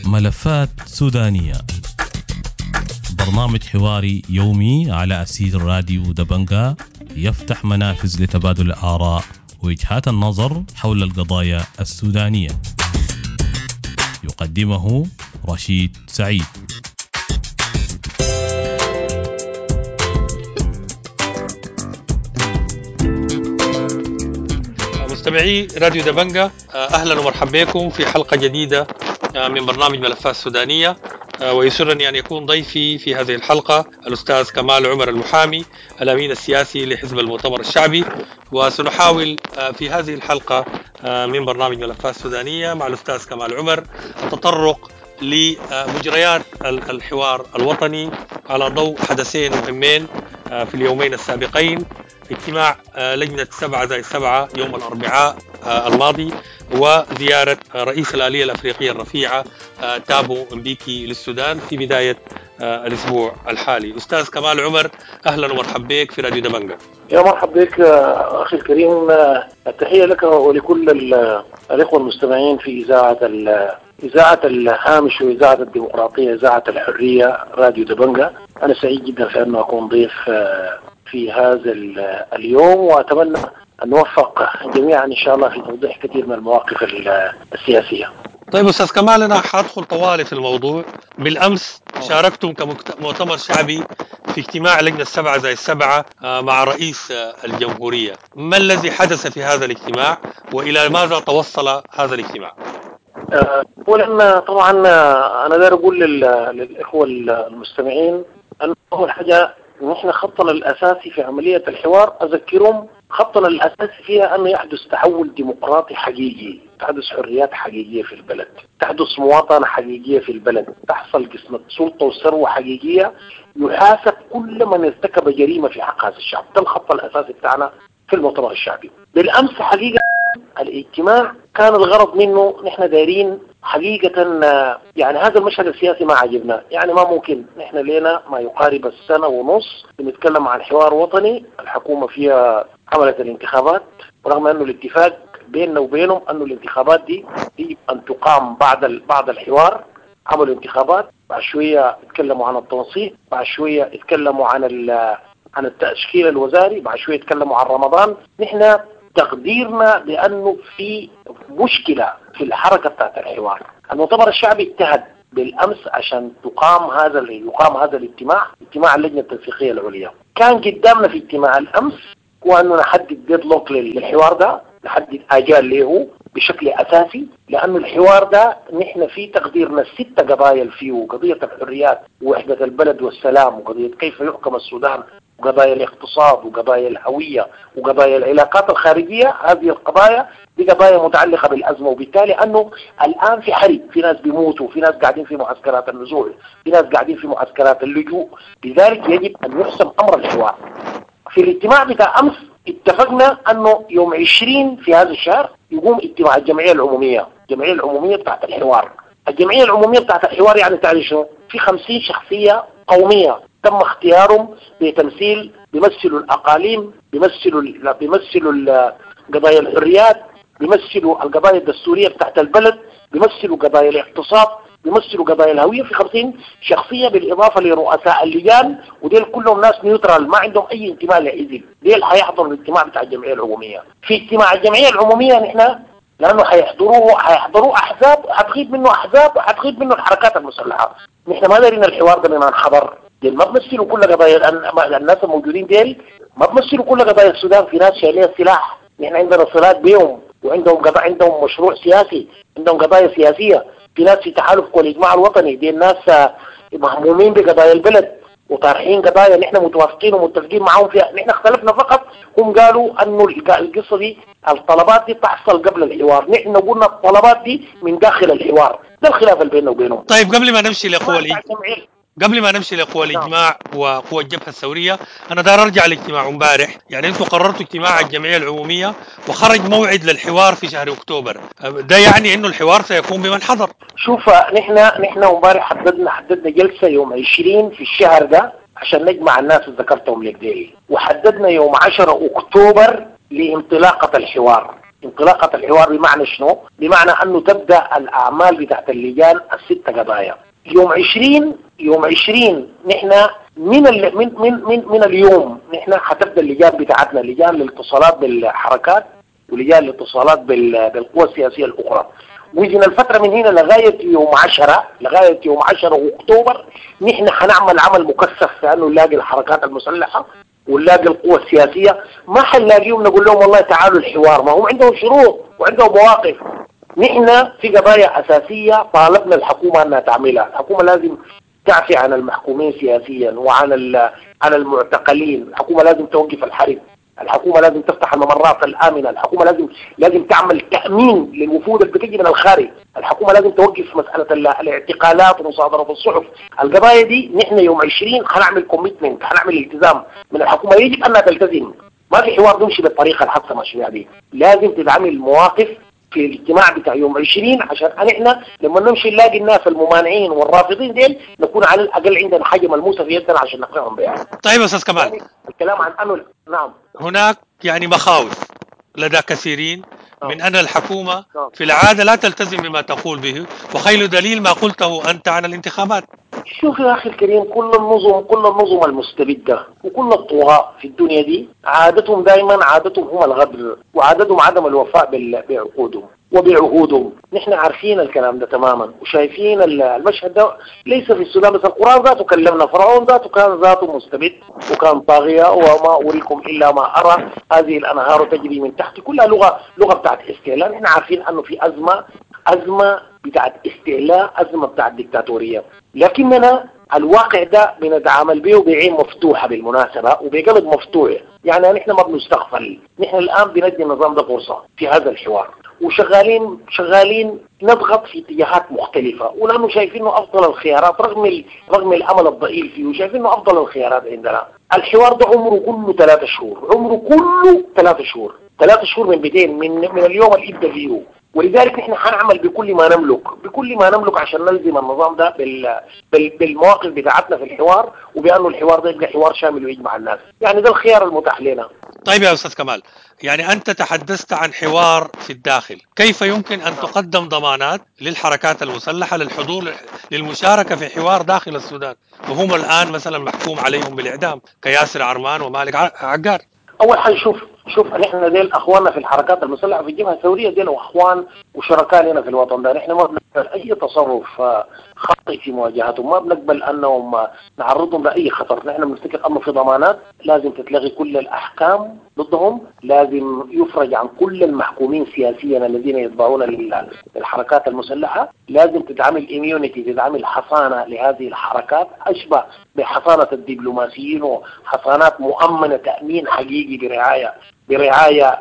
ملفات سودانية، برنامج حواري يومي على أثير راديو دبنجا، يفتح منافذ لتبادل الآراء ووجهات النظر حول القضايا السودانية. يقدمه رشيد سعيد. مستمعي راديو دبنجا، أهلا ومرحبا بكم في حلقة جديدة من برنامج ملفات سودانية، ويسرني أن يكون ضيفي في هذه الحلقة الأستاذ كمال عمر المحامي، الأمين السياسي لحزب المؤتمر الشعبي. وسنحاول في هذه الحلقة من برنامج ملفات سودانية مع الأستاذ كمال عمر التطرق لمجريات الحوار الوطني على ضوء حدثين مهمين في اليومين السابقين: اجتماع لجنة 7+7 يوم الأربعاء الماضي، وزيارة رئيس الآلية الأفريقية الرفيعة تابو امبيكي للسودان في بداية الأسبوع الحالي. أستاذ كمال عمر، أهلا ومرحبا بك في راديو دبنجا. يا مرحبا بك أخي الكريم، التحية لك ولكل الإخوة المستمعين في إذاعة الهامش وإذاعة الديمقراطية، إذاعة الحرية، راديو دبنجا. أنا سعيد جدا في أن أكون ضيف في هذا اليوم، وأتمنى أن نوفق جميعا إن شاء الله في توضيح كثير من المواقف السياسية. طيب أستاذ كمال، أنا حأدخل طوالي في الموضوع. بالأمس شاركتم كمؤتمر شعبي في اجتماع لجنة 7+7 مع رئيس الجمهورية. ما الذي حدث في هذا الاجتماع وإلى ماذا توصل هذا الاجتماع؟ أولا طبعا أنا داير أقول للإخوة المستمعين أن أول حاجة نحن خطنا الأساسي في عملية الحوار، أذكرهم خطنا الأساسي فيها أنه يحدث تحول ديمقراطي حقيقي، تحدث حريات حقيقية في البلد، تحدث مواطنة حقيقية في البلد، تحصل قسمة سلطة وثروة حقيقية، يحاسب كل من ارتكب جريمة في حق هذا الشعب. ده الخط الأساسي بتاعنا في المؤتمر الشعبي. بالأمس حقيقة الاجتماع كان الغرض منه نحن دايرين حقيقة، يعني هذا المشهد السياسي ما عجبنا، يعني ما ممكن نحن لنا ما يقارب السنة ونص بنتكلم عن حوار وطني، الحكومة فيها عملت الانتخابات، ورغم أنه الاتفاق بيننا وبينهم أنه الانتخابات دي يجب أن تقام بعد الحوار. عملوا انتخابات، بعد شوية اتكلموا عن التنسيق، بعد شوية اتكلموا عن التشكيل الوزاري، بعد شوية اتكلموا عن رمضان. نحن تقديرنا بأنه في مشكلة في الحركة بتاعت الحوار. المؤتمر الشعبي اجتهد بالأمس عشان يقام هذا الاجتماع، اجتماع اللجنة التنسيقية العليا. كان قدامنا في اجتماع الأمس هو أنه نحدد ديدلوك للحوار ده، نحدد آجال له بشكل أساسي، لأنه الحوار ده نحن في تقديرنا الست قضايا فيه: قضية الحريات ووحدة البلد والسلام، وقضية كيف يحكم السودان، وقضايا الاقتصاد، وقضايا الهوية، وقضايا العلاقات الخارجية. هذه القضايا دي قضايا متعلقة بالأزمة، وبالتالي أنه الآن في حرب، في ناس بيموتوا، في ناس قاعدين في معسكرات النزوح، في ناس قاعدين في معسكرات اللجوء. لذلك يجب أن يحسم أمر الحوار. في الاجتماع بتاع أمس اتفقنا أنه يوم 20 في هذا الشهر يقوم اجتماع الجمعية العمومية، الجمعية العمومية بتاعت الحوار. الجمعية العمومية بتاعت الحوار يعني تعرف شنو؟ في 50 شخصية قومية تم اختيارهم بتمثيل، بيمثلوا الأقاليم، بيمثلوا قضايا الحريات، بيمثلوا القضايا الدستورية بتاعت البلد، بيمثلوا قضايا الاقتصاد، بيمثلوا قضايا الهوية. في 50 شخصية بالإضافة لرؤساء اللجان، وديل كلهم ناس neutral ما عندهم أي انتماء لحزب، ديل حيحضروا الاجتماع بتاع الجمعية العمومية. في اجتماع الجمعية العمومية نحن لأنه حيحضروه أحزاب، وحتغيب منه أحزاب، وحتغيب منه الحركات المسلحة. نحن ما دارين الحوار ده من حضر، ديل ما بمثلوا كل قضايا الناس الموجودين، ديل ما بمثلوا كل قضايا السودان. في ناس شايلين السلاح، نحن عندنا صلات بيهم، وعندهم قضايا، عندهم مشروع سياسي، عندهم قضايا سياسية. في ناس في تحالف والإجماع الوطني، دي الناس مهمومين بقضايا البلد وطارحين قضايا نحن متوافقين ومتفقين معهم فيها. نحن اختلفنا فقط، هم قالوا انه القصة دي الطلبات دي تحصل قبل الحوار، نحن قلنا الطلبات دي من داخل الحوار. ده الخلاف اللي بيننا وبينهم. طيب قبل ما نمشي لقوى الإجماع وقوى الجبهة الثورية، أنا دار أرجع لاجتماع امبارح. يعني أنتم قررتوا اجتماع الجمعية العمومية وخرج موعد للحوار في شهر أكتوبر، ده يعني أنه الحوار سيكون بمن حضر. شوف، نحن امبارح حددنا جلسة يوم 20 في الشهر ده عشان نجمع الناس اللي ذكرتهم لك ديل، وحددنا يوم 10 أكتوبر لانطلاقه الحوار. انطلاقة الحوار بمعنى شنو؟ بمعنى انه تبدا الاعمال بتاعت اللجان الست قضايا. يوم 20 نحن من من من من من اليوم نحن حتبدا اللجان بتاعتنا، لجان للاتصالات بالحركات ولجان للاتصالات بالقوى السياسية الاخرى. وإذن الفترة من هنا لغاية يوم 10، لغاية يوم 10 اكتوبر نحن حنعمل عمل مكثف في انه نلاقي الحركات المسلحة ونلاقي القوى السياسية. ما حنلاقيهم نقول لهم والله تعالوا الحوار، ما هم عندهم شروط وعندهم مواقف. نحن في قضايا اساسية طالبنا الحكومة انها تعملها، الحكومة لازم تعفي عن المحكومين سياسيا وعن عن المعتقلين، الحكومة لازم توقف الحرب، الحكومة لازم تفتح الممرات الامنة، الحكومة لازم تعمل تامين للوفود اللي بتجي من الخارج، الحكومة لازم توقف مسالة الاعتقالات ومصادره الصحف. القضايا دي نحن يوم 20 حنعمل commitment، حنعمل التزام من الحكومة، يجب انها تلتزم. ما في حوار بيمشي بالطريقة الحادثة ماشية دي، لازم تتعمل مواقف في الاجتماع بتاع يوم 20 عشان احنا لما نمشي نلاقي الناس الممانعين والرافضين ديل نكون على الاقل عندنا حاجة ملموسة في يدنا عشان نقنعهم بها. طيب استاذ كمال، الكلام عن انه نعم هناك يعني مخاوف لدى كثيرين من ان الحكومة في العادة لا تلتزم بما تقول به، وخير دليل ما قلته انت عن الانتخابات. شوف يا اخي الكريم، كل النظم المستبده وكل الطغاة في الدنيا دي عادتهم دائما، عادتهم هم الغدر وعادتهم عدم الوفاء بعقودهم وبعهودهم. نحن عارفين الكلام ده تماما وشايفين المشهد ده ليس في السودان بس، القرآن ذاته كلمنا، فرعون ذاته كان ذاته مستبد وكان طاغية، وما أريكم إلا ما أرى، هذه الأنهار تجري من تحت، كلها لغة بتاعت استعلاء. نحن عارفين أنه في أزمة بتاعت استعلاء، أزمة بتاعت ديكتاتورية، لكننا الواقع ده بنتعامل به بعين مفتوحة بالمناسبة وبقلب مفتوح. يعني نحن ما بنستغفل، نحن الآن بندي النظام ده فرصة في هذا الحوار، وشغالين نضغط في اتجاهات مختلفة، ولأنه شايفين انه أفضل الخيارات رغم الأمل الضئيل فيه، وشايفين انه أفضل الخيارات عندنا. الحوار ده عمره كله 3 شهور، عمره كله 3 شهور، 3 شهور من 200 من اليوم اللي ابدا فيه. ولذلك نحن حنعمل بكل ما نملك، بكل ما نملك عشان نلزم النظام ده بالمواقف بتاعتنا في الحوار، وبأنه الحوار ده يبقى حوار شامل ويجمع الناس. يعني ده الخيار المتاح لنا. طيب يا أستاذ كمال، يعني أنت تحدثت عن حوار في الداخل، كيف يمكن أن تقدم ضمانات للحركات المسلحة للحضور للمشاركة في حوار داخل السودان وهم الآن مثلا محكوم عليهم بالإعدام كياسر عرمان ومالك عقار؟ أول حاجة شوف نحن ديل أخواننا في الحركات المسلحة في الجبهة الثورية، ديل أخوان وشركاء لنا في الوطن ده. نحن ما بنقبل أي تصرف خاطئ في مواجهتهم، ما بنقبل أنهم نعرضهم لأي خطر. نحن بنفتكر أنه في ضمانات لازم تتلغي كل الأحكام ضدهم، لازم يفرج عن كل المحكومين سياسيا الذين يتبعون للحركات المسلحة، لازم تتعمل immunity، تتعمل حصانة لهذه الحركات أشبه بحصانة الدبلوماسيين، وحصانات مؤمنة تأمين حقيقي برعاية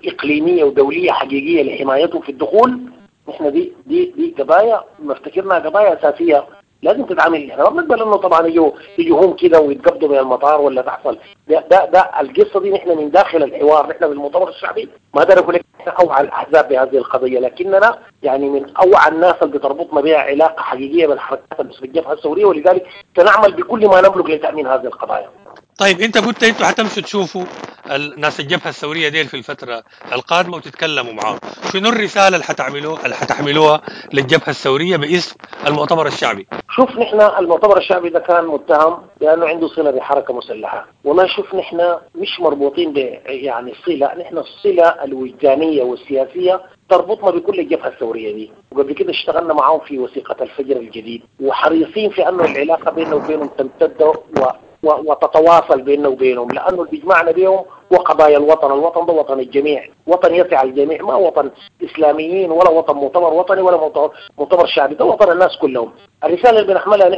إقليمية ودولية حقيقية لحمايتهم في الدخول. نحن دي قضايا نفتكرنا قضايا أساسية لازم تتعامل. احنا ما بنقبل انه طبعا يجوا هم كده ويتقبضوا من المطار ولا تحصل ده القصة دي. نحن من داخل الحوار، نحن بالمؤتمر الشعبي ما اقدر اقول لك نحن اوعى الاحزاب بهذه القضية، لكننا يعني من اوعى الناس اللي بتربطنا بها علاقة حقيقية بالحركات بالجبهة الثورية، ولذلك سنعمل بكل ما نملك لتامين هذه القضايا. طيب انت قلت انتوا حتمشوا تشوفوا الناس الجبهة الثورية ديل في الفترة القادمة وتتكلموا معاهم، شنو الرسالة اللي حتحملوها للجبهه الثورية باسم المؤتمر الشعبي؟ شوف نحن المؤتمر الشعبي ده كان متهم بانه عنده صله بحركة مسلحة، والله شوف نحن مش مربوطين ب يعني صله، نحن الصلة الوجدانية والسياسية تربطنا بكل الجبهة الثورية دي، وقبل كده اشتغلنا معاهم في وثيقة الفجر الجديد، وحريصين في انه العلاقة بيننا وبينهم تمتد وتتواصل بيننا وبينهم، لأنه اللي بيجمعنا بيهم هو قضايا الوطن. الوطن ده وطن الجميع، وطن يسع الجميع، ما وطن إسلاميين ولا وطن مؤتمر وطني ولا مؤتمر شعبي، ده وطن الناس كلهم. الرسالة اللي بنحملها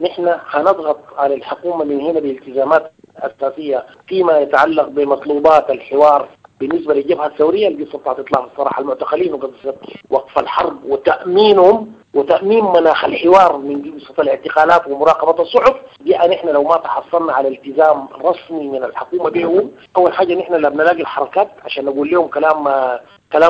نحن هنضغط على الحكومة من هنا بالتزامات أساسية فيما يتعلق بمطلوبات الحوار بالنسبة للجبهة الثورية، القصة بتاعت إطلاق السراح المعتقلين وقصة وقف الحرب وتأمينهم وتأمين مناخ الحوار من قصة الاعتقالات ومراقبة الصحف دي. نحن لو ما تحصلنا على التزام رسمي من الحكومة بهم، أول حاجة نحن لا بنلاقي الحركات عشان نقول لهم كلام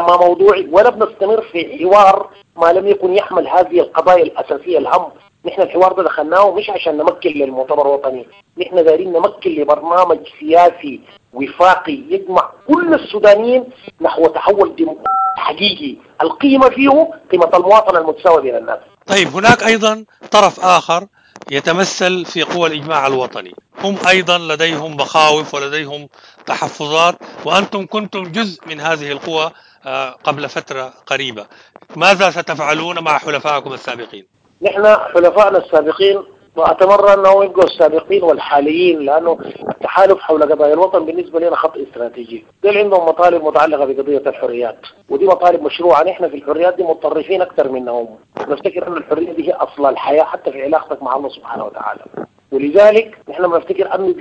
ما موضوعي، ولا بنستمر في حوار ما لم يكن يحمل هذه القضايا الأساسية الهم. نحن الحوار ده دخلناه مش عشان نمكن للمؤتمر الوطني، نحن دايرين نمكن لبرنامج سياسي وفاقي يجمع كل السودانيين نحو تحول ديمقراطي حقيقي القيمة فيه قيمة المواطنة المتساوية بين الناس. طيب، هناك أيضا طرف آخر يتمثل في قوى الإجماع الوطني، هم أيضا لديهم مخاوف ولديهم تحفظات، وأنتم كنتم جزء من هذه القوى قبل فترة قريبة. ماذا ستفعلون مع حلفائكم السابقين؟ نحن حلفائنا السابقين وأتمنى أنهم يبقوا السابقين والحاليين، لأنه التحالف حول قضايا الوطن بالنسبة لنا خط استراتيجي. دول عندهم مطالب متعلقة بقضية الحريات، ودي مطالب مشروعة. نحن في الحريات دي متطرفين أكثر منهم، نفتكر أن الحرية دي هي أصل الحياة حتى في علاقتك مع الله سبحانه وتعالى. ولذلك نحن بنفتكر أنه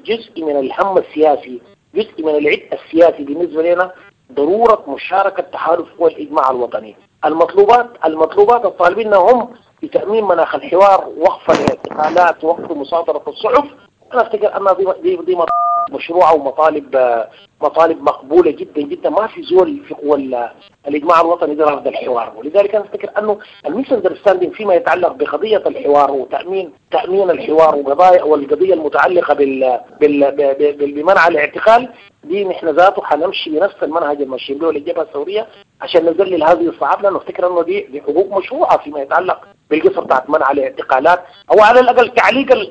جزء من الهم السياسي، جزء من العبء السياسي بالنسبة لنا ضرورة مشاركة تحالف قوى الإجماع الوطني. المطلوبات الطالبين هم بتأمين مناخ الحوار، وقف الاعتقالات، وقف مصادرة الصحف. أنا أفتكر أن دي مشروعة ومطالب مطالب مقبولة جدا جدا. ما في زول في قوى الإجماع الوطني ده رافض الحوار، ولذلك أنا أفتكر أنه ال misunderstanding فيما يتعلق بقضية الحوار وتأمين الحوار وقضايا والقضية المتعلقة بمنع الاعتقال دي، نحن ذاته حنمشي بنفس المنهج الماشيين به للجبهة الثورية عشان نذلل هذه الصعاب، لأنه أفتكر أنه دي حقوق مشروعة فيما يتعلق بالقصة بتاعت منع الاعتقالات، أو على الأقل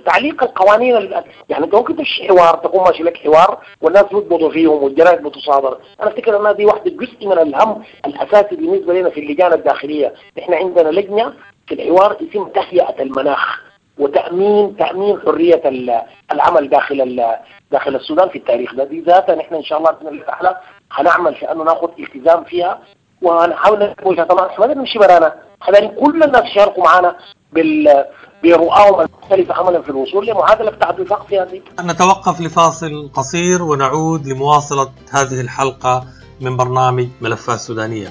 تعليق القوانين. يعني أنت ممكن تمشي حوار، تقوم ماشي لك حوار والناس بيقبضوا فيهم والجرائد بتصادر. أنا أفتكر أنها دي واحدة جزء من الهم الأساسي بالنسبة لنا في اللجان الداخلية. نحن عندنا لجنة في الحوار اسم تهيئة المناخ وتأمين حرية العمل داخل السودان في التاريخ ده. دي ذاتها نحن إن شاء الله بإذن الله تعالى هنعمل في أنه ناخذ التزام فيها، وهنحاول نوجه. طبعا احنا ما نمشي برانا، احنا كل الناس يشاركوا معنا برؤاهم المختلفة عملا في الوصول لمعادلة بتاعت وفاق في هذه. نتوقف لفاصل قصير ونعود لمواصلة هذه الحلقة من برنامج ملفات سودانية.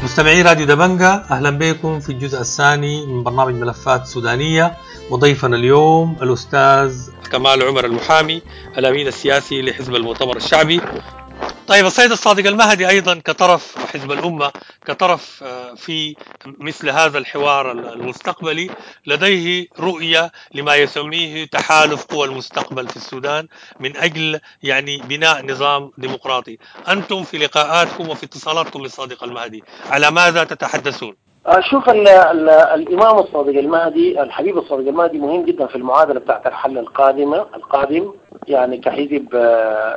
مستمعي راديو دبنجة، أهلا بكم في الجزء الثاني من برنامج ملفات سودانية، وضيفنا اليوم الأستاذ كمال عمر المحامي الأمين السياسي لحزب المؤتمر الشعبي. طيب، السيد الصادق المهدي أيضا كطرف وحزب الأمة كطرف في مثل هذا الحوار المستقبلي لديه رؤية لما يسميه تحالف قوى المستقبل في السودان من أجل يعني بناء نظام ديمقراطي. أنتم في لقاءاتكم وفي اتصالاتكم بالصادق المهدي على ماذا تتحدثون؟ شوف، الإمام الصادق المهدي، الحبيب الصادق المهدي مهم جدا في المعادلة بتاعت الحل القادم. يعني كحزب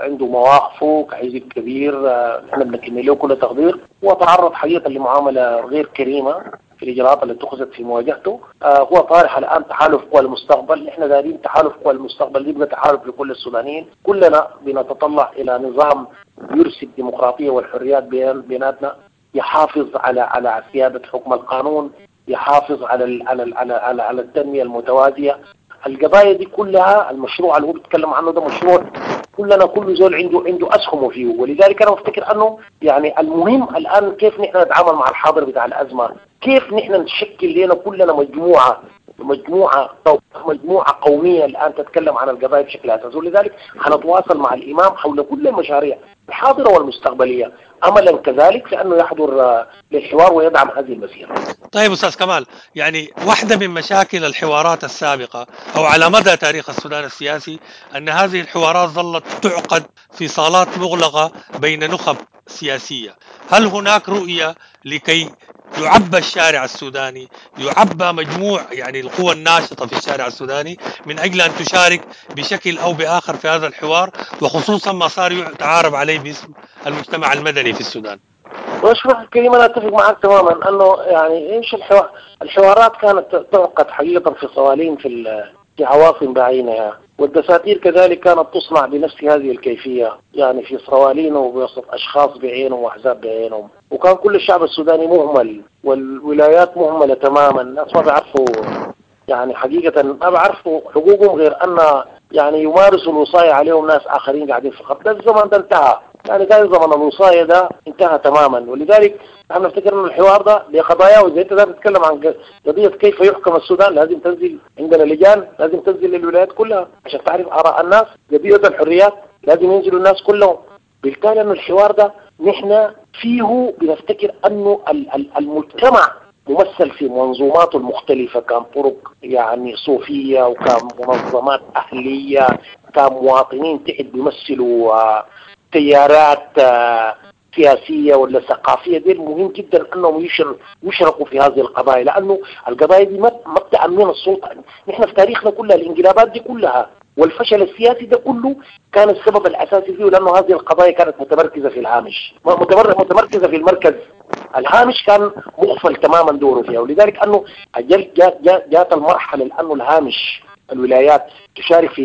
عنده مواقفه، كحزب كبير نحن بنكن له كل تقدير، وتعرض حقيقة لمعاملة غير كريمة في الإجراءات اللي اتخذت في مواجهته. هو طارح الآن تحالف قوى المستقبل. نحن دارين تحالف قوى المستقبل يبقى تحالف لكل السودانيين، كلنا بنتطلع إلى نظام يرسي الديمقراطية والحريات بيناتنا، يحافظ على سيادة حكم القانون، يحافظ على على على على, على التنمية المتوازية. القضايا دي كلها المشروع اللي هو بيتكلم عنه ده مشروع كلنا، كل زول عنده أسهمه فيه. ولذلك أنا بفتكر أنه يعني المهم الآن كيف نحن نتعامل مع الحاضر بتاع الأزمة، كيف نحن نشكل لنا كلنا مجموعة قومية الآن تتكلم عن القضايا بشكل أساسي. ولذلك حنتواصل مع الإمام حول كل المشاريع الحاضرة والمستقبلية، أملا كذلك في أنه يحضر للحوار ويدعم هذه المسيرة. طيب أستاذ كمال، يعني واحدة من مشاكل الحوارات السابقة أو على مدى تاريخ السودان السياسي أن هذه الحوارات ظلت تعقد في صالات مغلقة بين نخب سياسية. هل هناك رؤية لكي يعبى الشارع السوداني، يعبى مجموع يعني القوى الناشطة في الشارع السوداني من أجل أن تشارك بشكل أو بآخر في هذا الحوار، وخصوصا ما صار يتعارف عليه باسم المجتمع المدني في السودان؟ واشرح الكريم، أنا أتفق معك تماما أنه يعني إيش الحوارات كانت تعقد حقيقة في صوالين في عواصم بعينها. والدساتير كذلك كانت تصنع بنفس هذه الكيفية، يعني في صوالين وبوسط أشخاص بعينهم وأحزاب بعينهم، وكان كل الشعب السوداني مهمل والولايات مهملة تماما. الناس ما بيعرفوا يعني حقيقة ما بيعرفوا حقوقهم غير أن يعني يمارسوا الوصاية عليهم ناس آخرين قاعدين في الخط. ده الزمن ده انتهى، يعني كان زمن الوصاية ده انتهى تماما. ولذلك نحن نفتكر أن الحوار ده لقضايا، وإذا أنت تتكلم عن قضية كيف يحكم السودان لازم تنزل عندنا لجان، لازم تنزل للولايات كلها عشان تعرف آراء الناس. قضية الحريات لازم ينزلوا الناس كلهم. بالتالي أن الحوار ده نحن فيه بنفتكر أنه المجتمع ممثل في منظوماته المختلفة، كان طرق يعني صوفية، وكان منظمات أهلية، كان مواطنين تحت بيمثلوا تيارات سياسية ولا ثقافية. دي مهم جدا أنهم يشركوا في هذه القضايا، لأنه القضايا دي ما بتأمن السلطة. نحن في تاريخنا كلها الانقلابات دي كلها والفشل السياسي ده كله كان السبب الأساسي فيه لأنه هذه القضايا كانت متمركزة في الهامش، متمركزة في المركز. الهامش كان مغفل تماما دوره فيها. ولذلك أنه جاءت المرحلة لأنه الهامش الولايات تشارك في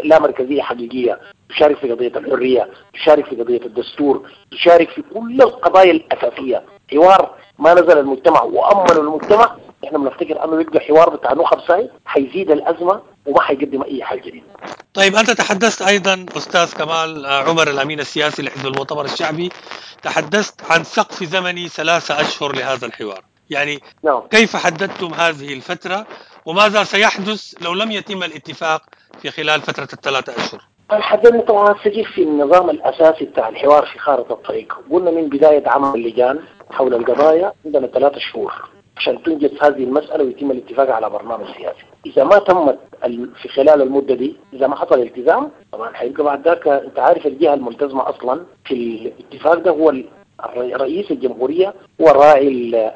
لا مركزية حقيقية، تشارك في قضية الحرية، تشارك في قضية الدستور، تشارك في كل القضايا الأساسية. حوار ما نزل المجتمع وأمنوا المجتمع، احنا بنفتكر أنه يبقى حوار بتاع نخب ساي حيزيد الأزمة وما حيقدم أي حاجة جديدة. طيب، أنت تحدثت أيضا أستاذ كمال عمر الأمين السياسي لحزب المؤتمر الشعبي، تحدثت عن سقف زمني 3 أشهر لهذا الحوار، يعني نعم. كيف حددتم هذه الفترة وماذا سيحدث لو لم يتم الاتفاق في خلال فترة 3 أشهر؟ حددنا طبعا سجل في النظام الأساسي بتاع الحوار في خارطة الطريق. قلنا من بداية عمل اللجان حول القضايا عندنا 3 شهور عشان تنجز هذه المسألة ويتم الاتفاق على برنامج سياسي. إذا ما تمت في خلال المدة دي، إذا ما حصل التزام طبعا حيبقى بعد ذاك أنت عارف الجهة الملتزمة أصلا في الاتفاق ده هو رئيس الجمهورية، هو راعي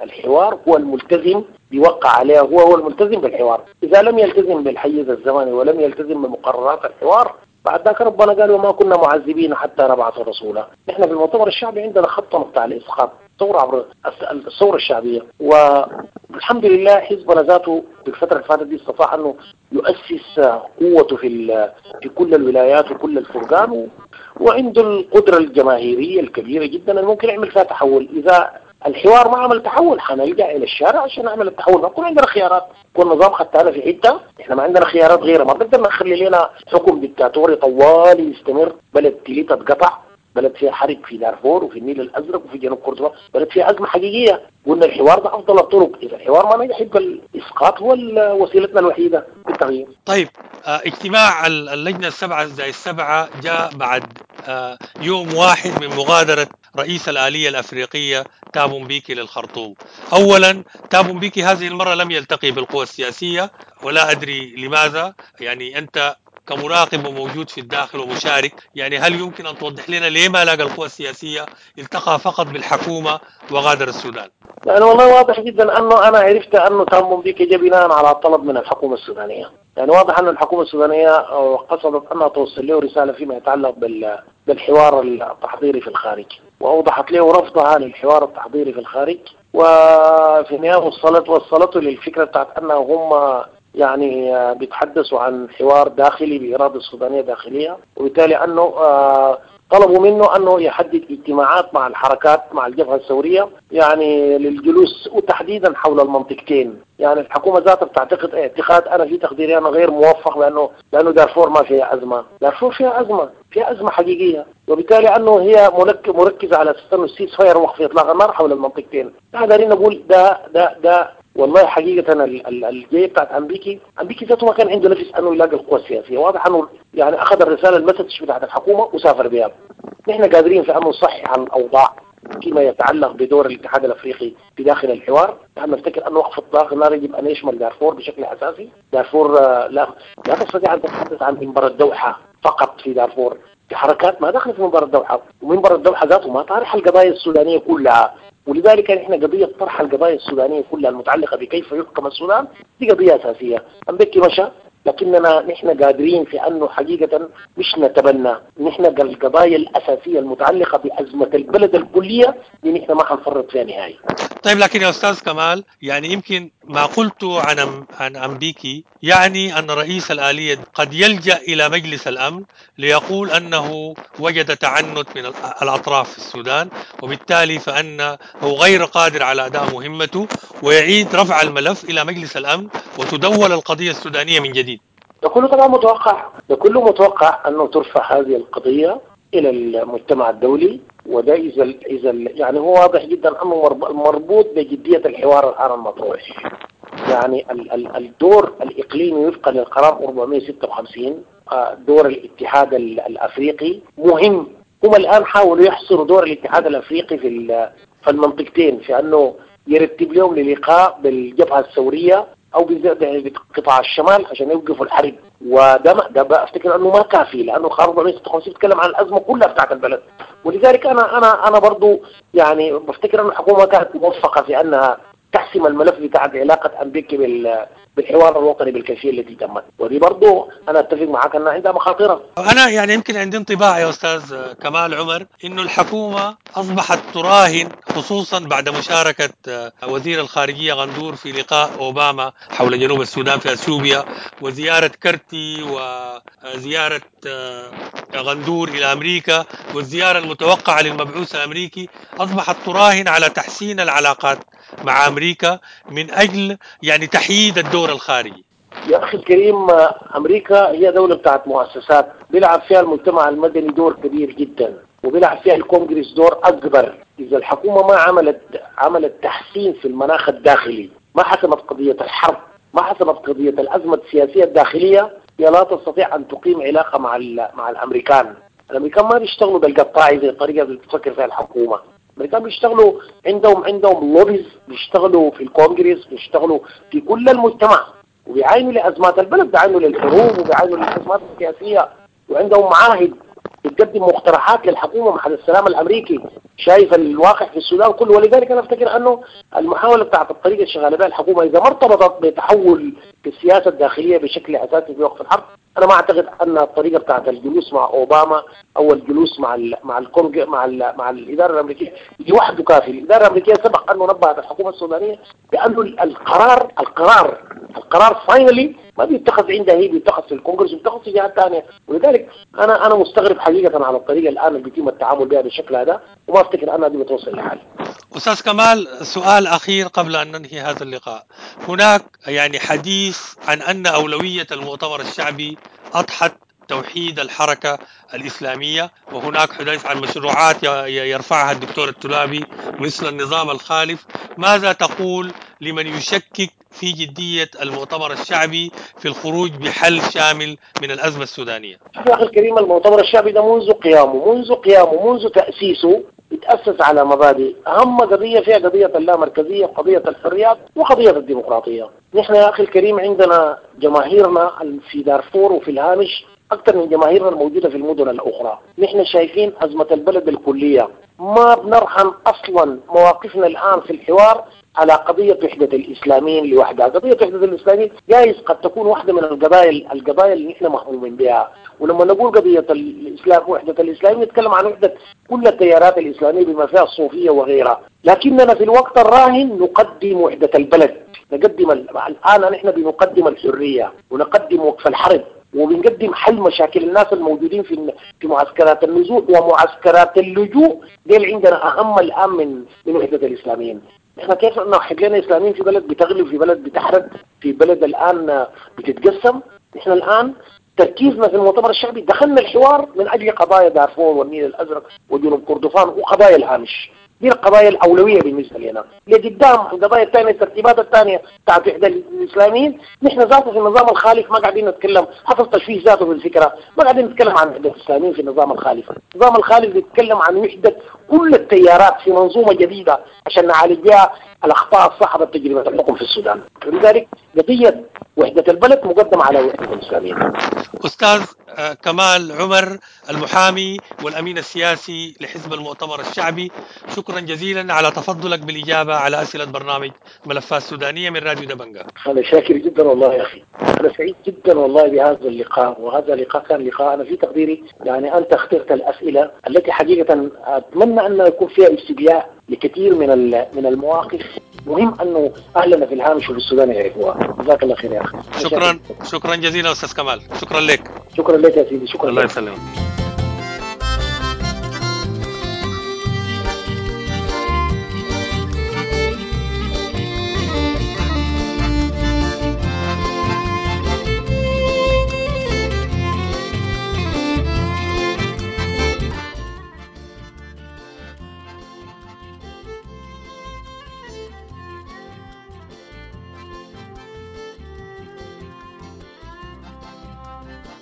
الحوار، هو الملتزم بيوقع عليها، هو الملتزم بالحوار. إذا لم يلتزم بالحيز الزمني ولم يلتزم بمقررات الحوار بعد ذاك ربنا قال وما كنا معذبين حتى نبعث رسولا. نحن في المؤتمر الشعبي عندنا خطة بتاع الإسقاط ثورة عبر الثورة الشعبية، والحمد لله حزبنا ذاته في الفترة اللي فاتت دي استطاع أنه يؤسس قوته في كل الولايات وكل الفرقان، وعنده القدرة الجماهيرية الكبيرة جدا اللي ممكن يعمل فيها تحول. إذا الحوار ما عمل تحول حنلجأ إلى الشارع عشان نعمل التحول. ما يكون عندنا خيارات، كل نظام خدتها في حتة، إحنا ما عندنا خيارات غيرها. ما بنقدر نخلي لنا حكم ديكتاتوري طوالي يستمر. بلد تليتها اتقطع، بلد فيها حرب في دارفور وفي النيل الأزرق وفي جنوب كردفان، بلد فيها أزمة حقيقية. قلنا الحوار ده أفضل الطرق. إذا الحوار ما نجح يبقى الإسقاط هو وسيلتنا الوحيدة للتغيير. طيب، اجتماع اللجنة 7+7 جاء بعد يوم واحد من مغادرة رئيس الآلية الأفريقية تابو مبيكي للخرطوم. أولا تابو مبيكي هذه المرة لم يلتقي بالقوى السياسية ولا أدري لماذا. يعني أنت كمراقب وموجود في الداخل ومشارك، يعني هل يمكن أن توضح لنا ليه ما لاقى القوى السياسية، التقى فقط بالحكومة وغادر السودان؟ يعني والله واضح جدا أنه أنا عرفت أنه تابو مبيكي جاء بناء على طلب من الحكومة السودانية. يعني واضح أن الحكومة السودانية قصدت أنها توصل له رسالة فيما يتعلق بالحوار التحضيري في الخارج، وأوضحت له رفضها للحوار التحضيري في الخارج، وفي النهاية وصلته للفكرة بتاعت أنه هم يعني بيتحدثوا عن حوار داخلي بإرادة السودانية داخلية، وبالتالي أنه طلبوا منه أنه يحدد اجتماعات مع الحركات مع الجبهة الثورية يعني للجلوس وتحديدا حول المنطقتين. يعني الحكومة ذاتها بتعتقد اعتقاد أنا في تقديري أنا غير موفق لأنه دارفور ما فيها أزمة. دارفور فيها أزمة، فيها أزمة حقيقية، وبالتالي أنه هي مركزة على أساس أنه ال ceasefire وقف إطلاق النار حول المنطقتين. نحن دارين نقول ده ده ده والله حقيقة الجاية بتاعت أمبيكي ذاته ما كان عنده نفس أنه يلاقي القوى السياسية. واضح أنه يعني أخذ الرسالة ال message بتاعت الحكومة وسافر بها. نحن قادرين في أنه نصحح الأوضاع فيما يتعلق بدور الاتحاد الأفريقي في داخل الحوار. نحن نفتكر أنه وقف إطلاق النار يجب أن يشمل دارفور بشكل أساسي. دارفور لا تستطيع أن تتحدث عن منبر الدوحة فقط في دارفور، في حركات ما دخلت في منبر الدوحة، ومنبر الدوحة ذاته ما طارح القضايا السودانية كلها. ولذلك نحن قضية طرح القضايا السودانية كلها المتعلقة بكيف يحكم السودان دي قضية أساسية. أمبيكي مشى، لكننا نحن قادرين في أنه حقيقة مش نتبنى نحن القضايا الأساسية المتعلقة بأزمة البلد الكلية دي نحن ما حنفرط فيها نهائي. طيب لكن يا أستاذ كمال، يعني يمكن ما قلته عن أمبيكي يعني أن رئيس الآلية قد يلجأ إلى مجلس الأمن ليقول أنه وجد تعنت من الأطراف في السودان، وبالتالي فأنه غير قادر على أداء مهمته، ويعيد رفع الملف إلى مجلس الأمن وتدول القضية السودانية من جديد. ده كله طبعا متوقع، ده كله متوقع أنه ترفع هذه القضية إلى المجتمع الدولي، وده إذا يعني هو واضح جدا أنه مربوط بجدية الحوار الآن المطروح. يعني الدور الإقليمي وفقا للقرار 456، دور الاتحاد الأفريقي مهم. هم الآن حاولوا يحصروا دور الاتحاد الأفريقي في المنطقتين، في أنه يرتب لهم للقاء بالجبهة الثورية أو بقطاع الشمال عشان يوقفوا الحرب، وده ده افتكر انه ما كافي، لانه قرار 456 بيتكلم عن الازمة كلها بتاعت البلد. ولذلك انا برضو يعني بفتكر ان الحكومة كانت موفقة في انها تحسم الملف بتاع علاقة امريكا بالحوار الوطني بالكيفية التي تمت، ودي برضو انا اتفق معك انها عندها مخاطرها. انا يعني يمكن عندي انطباع يا استاذ كمال عمر انه الحكومة اصبحت تراهن، خصوصا بعد مشاركة وزير الخارجية غندور في لقاء اوباما حول جنوب السودان في اثيوبيا، وزيارة كرتي وزيارة غندور الى امريكا، والزيارة المتوقعة للمبعوث الامريكي، اصبحت تراهن على تحسين العلاقات مع امريكا من اجل يعني تحييد الدور الخارجي. يا اخي الكريم، امريكا هي دولة بتاعت مؤسسات بيلعب فيها المجتمع المدني دور كبير جدا، وبيلعب فيها الكونغرس دور اكبر. اذا الحكومة ما عملت تحسين في المناخ الداخلي، ما حسمت قضية الحرب، ما حسمت قضية الازمة السياسية الداخلية، هي لا تستطيع ان تقيم علاقة مع الامريكان. الامريكان ما بيشتغلوا بالقطاعي زي الطريقة اللي بتفكر فيها الحكومة. الامريكان بيشتغلوا عندهم lobbies، بيشتغلوا في الكونغرس، بيشتغلوا في كل المجتمع، وبيعاينوا لازمات البلد، بيعاينوا للحروب، وبيعاينوا للازمات السياسية، وعندهم معاهد بتقدم مقترحات للحكومة مع السلام الامريكي، شايف الواقع في السودان كله. ولذلك انا افتكر انه المحاولة بتاعت الطريقة اللي شغالة بها الحكومة اذا ما ارتبطت بتحول في السياسة الداخلية بشكل اساسي في وقف الحرب، انا ما اعتقد ان الطريقة بتاعت الجلوس مع اوباما او الجلوس مع ال مع الكونج مع ال مع الادارة الامريكية لوحده كافي. الادارة الامريكية سبق انه نبهت الحكومة السودانية بانه القرار finally ما بيتخذ عندها هي، بيتخذ في الكونغرس وبيتخذ في جهات ثانية. ولذلك انا مستغرب حقيقة على الطريقة الان اللي بيتم التعامل بها بالشكل هذا، وما افتكر انها دي بتوصل لحل. استاذ كمال، سؤال اخير قبل ان ننهي هذا اللقاء. هناك يعني حديث عن ان اولوية المؤتمر الشعبي اضحت توحيد الحركة الإسلامية، وهناك حديث عن مشروعات يرفعها الدكتور الترابي مثل النظام الخالف. ماذا تقول لمن يشكك في جدية المؤتمر الشعبي في الخروج بحل شامل من الأزمة السودانية؟ يا أخي الكريم، المؤتمر الشعبي ده منذ قيامه منذ تأسيسه يتأسس على مبادئ، أهم قضية فيها قضية اللامركزية وقضية الحريات وقضية الديمقراطية. نحن يا أخي الكريم عندنا جماهيرنا في دارفور وفي الهامش أكثر من جماهيرنا الموجودة في المدن الأخرى. نحن شايفين أزمة البلد الكلية، ما بنرحم أصلا مواقفنا الآن في الحوار على قضية وحدة الإسلاميين لوحدها. قضية وحدة الإسلاميين جايز قد تكون واحدة من القضايا اللي نحن مهمومين بها. ولما نقول قضية الإسلام وحدة الإسلاميين نتكلم عن وحدة كل التيارات الإسلامية بما فيها الصوفية وغيرها، لكننا في الوقت الراهن نقدم وحدة البلد، نقدم الآن نحن بنقدم الحرية ونقدم وقف الحرب وبنقدم حل مشاكل الناس الموجودين في معسكرات النزوح ومعسكرات اللجوء. دي عندنا أهم الآن من وحدة الإسلاميين. احنا كيف نوحد لنا اسلاميين في بلد بتغلب، في بلد بتحرق، في بلد الان بتتقسم؟ احنا الان تركيزنا في المؤتمر الشعبي دخلنا الحوار من اجل قضايا دارفور والنيل الازرق وجنوب كردفان وقضايا الهامش. دي القضايا الاولوية بالنسبة لنا. لقدام القضايا الثانية، الترتيبات الثانية بتاعت وحده الاسلاميين، نحن ذاته في النظام الخالف ما قاعدين نتكلم، حصل تشويش ذاته في الفكرة، ما قاعدين نتكلم عن وحده الاسلاميين في النظام الخالف. النظام الخالف بيتكلم عن وحده كل التيارات في منظومة جديدة عشان نعالج بها الاخطاء الصاحبة تجربه الحكم في السودان. ولذلك قضية وحده البلد مقدمه على وحده الاسلاميين. استاذ كمال عمر، المحامي والامين السياسي لحزب المؤتمر الشعبي، شكرا جزيلا على تفضلك بالاجابة على اسئلة برنامج ملفات سودانيه من راديو دبنجا. انا شاكر جدا والله يا اخي، انا سعيد جدا والله بهذا اللقاء، وهذا اللقاء كان لقاء انا في تقديري يعني انت اخترت الاسئلة التي حقيقة اتمنى ان يكون فيها استبياء لكثير من المواقف. مهم انه اهلنا في الهامش وفي السودان يعرفوها. جزاك الله خير يا اخي. شكرا، شكرا جزيلا استاذ كمال، شكرا لك. شكرا لك يا سيدي، شكرا الله لك. يسلمك.